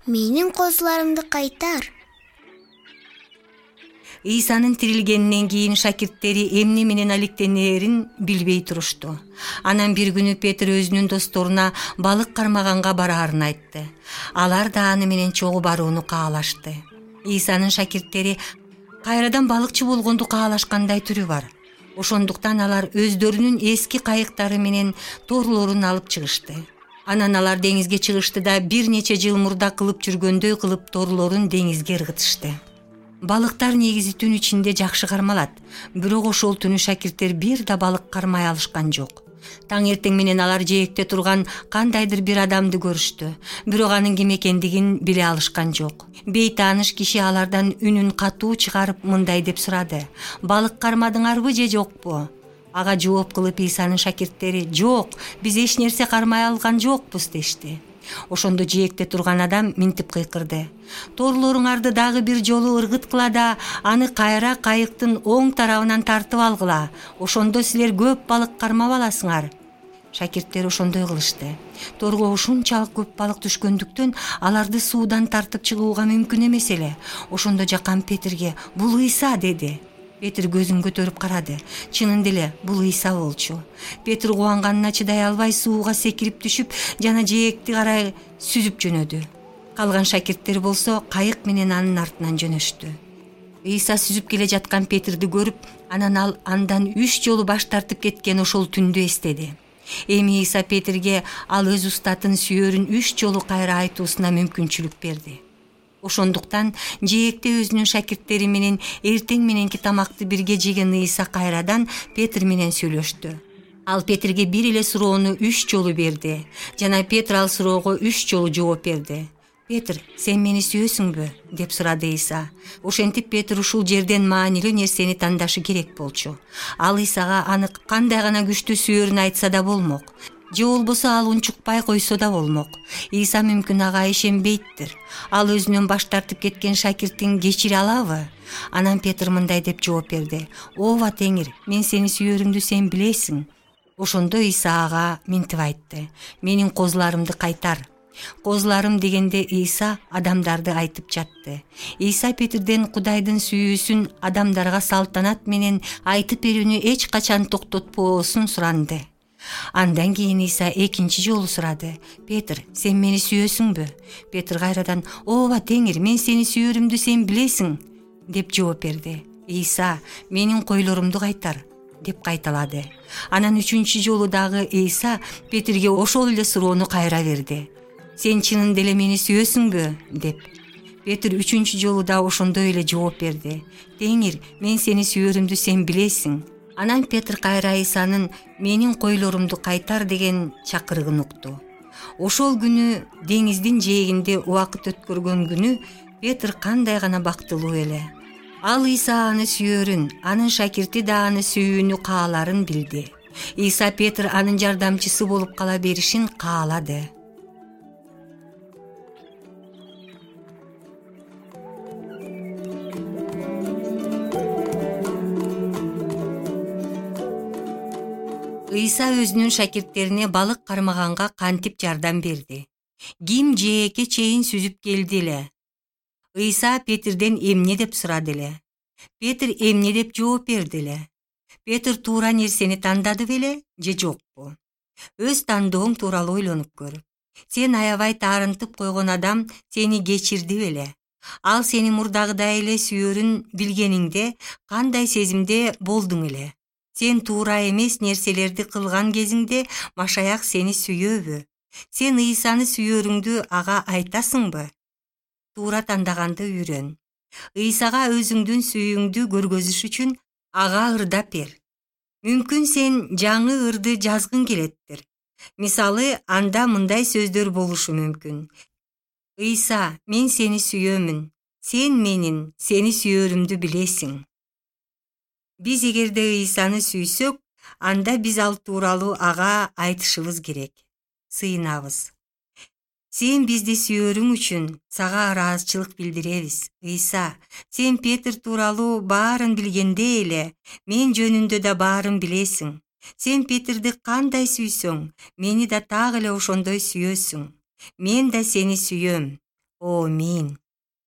Менин козуларымды кайтар. Ыйсанын тирилгенинен кийин шакирттери эмне менен алектенерин билбей турушту. Анан бир күнү Петр өзүнүн досторуна балык кармаганга бараарын айтты. Алар да аны менен чогуу барууну каалашты. Ыйсанын шакирттери кайрадан балыкчы болгонду каалашкандай түрү бар. Ошондуктан алар өздөрүнүн эски кайыктары менен торлорун алып чыгышты. Анан алар деңизге чыгышты да бир нече жыл мурда кылып жүргөндөй кылып торлорун деңизге ыргытышты. Балыктар негизи түн ичинде жакшы кармалат, бирок ошол түнү шакирттер бир да балык кармай алышкан жок. Таң эртең менен алар жээкте турган кандайдыр бир адамды көрүштү, бирок анын ким экендигин биле алышкан жок. Бейтааныш киши алардан үнүн катуу чыгарып мындай деп сурады: "Балык кармадыңарбы же жокпу?" Ага жооп кылып Ыйсанын шакирттери: "Жок, биз эч нерсе кармай алган жокпуз" дешти. Ошондо жээкте турган адам минтип кыйкырды: "Торлоруңарды дагы бир жолу ыргыткыла да, аны кайра кайыктын оң тарабынан тартып алгыла. Ошондо силер көп балык кармап аласыңар." Шакирттер ошондой кылышты. Торго ушунчалык көп балык түшкөндүктөн аларды суудан тартып чыгууга мүмкүн эмес эле. Ошондо жакан Петрге: "Бул Ыйса" деди. Петр көзүн көтөрүп карады. Чынында эле бул Ыйса болчу. Петр кубанганына чыдай албай сууга секирип түшүп, жана жээкти карай сүзүп жөнөдү. Калган шакирттер болсо кайык менен анын артынан жөнөштү. Ыйса сүзүп келе жаткан Петрди көрүп, анан ал андан 3 жолу баш тартып кеткен ошол түндү эстеди. Эми Ыйса Петрге ал өз устатын сүйөрүн 3 жолу кайра айтуусуна мүмкүнчүлүк берди. Ошондуктан жээкте өзүнүн шакирттери менен эртең мененки тамакты бирге жеген Ыйса кайрадан Петр менен сөйлөштү. Ал Петрге бир эле суроону 3 жолу берди, жана Петр ал суроого 3 жолу жооп берди. "Петр, сен мени сүйөсүңбү?" деп сурады Ыйса. Ошентип Петр ушул жерден маанилүү нерсени тандашы керек болчу. Ал Ыйсага аны кандай гана күчтүү сүйөрүн айтса да болмок, же болбосо ал унчукпай койсо да болмок. Ыйса мүмкүн ага ишенбейттир. Ал өзүнөн баш тартып кеткен шакиртин кечире алабы? Анан Петр мындай деп жооп берди: "Ооба Теңир, мен сени сүйөрүмдү сен билесиң." Ошондо Ыйса ага минтип айтты: "Менин козуларымды кайтар." Козуларым дегенде Ыйса адамдарды айтып жатты. Ыйса Петрден Кудайдын сүйүүсүн адамдарга салтанат менен айтып берүүнү эч качан токтотпоосун суранды. Андан кийин Ыйса экинчи жолу сурады: "Петр, сен мени сүйөсүңбү?" Петр кайрадан: "Ооба Теңир, мен сени сүйөрүмдү сен билесиң" деп жооп берди. Ыйса: "Менин койлорумду кайтар" деп кайталады. Анан 3-чү жолу дагы Ыйса Петрге ошол эле суроону кайра берди: "Сен чынында эле мени сүйөсүңбү" деп. Петр 3-чү жолу да ошондой эле жооп берди: "Теңир, мен сени сүйөрүмдү сен билесиң." Анан Петр кайра Ыйсанын "Менин койлорумду кайтар" деген чакырыгын укту. Ошол күнү деңиздин жээгинде убакыт өткөргөн күнү Петр кандай гана бактылуу эле. Ал Ыйса аны сүйөрүн, анын шакирти да аны сүйүүнү кааларын билди. Ыйса Петр анын жардамчысы болуп кала беришин каалады. Ыйса өзүнүн шакирттерине балык кармаганга кантип жардам берди? Ким жээкке чейин сүзүп келди эле? Ыйса Петрден эмне деп сурады эле? Петр эмне деп жооп берди эле? Петр туура нерсени тандады беле же жокпу? Өз тандооң тууралуу ойлонуп көр. Сен аябай таарынтып койгон адам сени кечирди беле? Ал сени мурдагыдай эле сүйөрүн билгениңде кандай сезимде болдуң эле? Сен туура эмес нерселерди кылган кезиңде Машаяк сени сүйөбү? Сен Ыйсаны сүйөрүңдү ага айтасыңбы? Туура тандаганды үйрөн. Ыйсага өзүңдүн сүйүүңдү көргөзүш үчүн ага ырдап бер. Мүмкүн сен жаңы ырды жазгың келеттир. Мисалы, анда мындай сөздөр болушу мүмкүн: "Ыйса, мен сени сүйөмүн. Сен менин сени сүйөрүмдү билесиң." Биз эгерде Ыйсаны сүйсөк, анда биз ал тууралуу ага айтышыбыз керек. Сыйынабыз: "Сен бизди сүйөрүң үчүн сага ыраазычылык билдиребиз. Ыйса, сен Петр тууралуу баарын билгенде эле, мен жөнүндө да баарын билесиң. Сен Петрди кандай сүйсөң, мени да так эле ошондой сүйөсүң. Мен да сени сүйөм. Амин.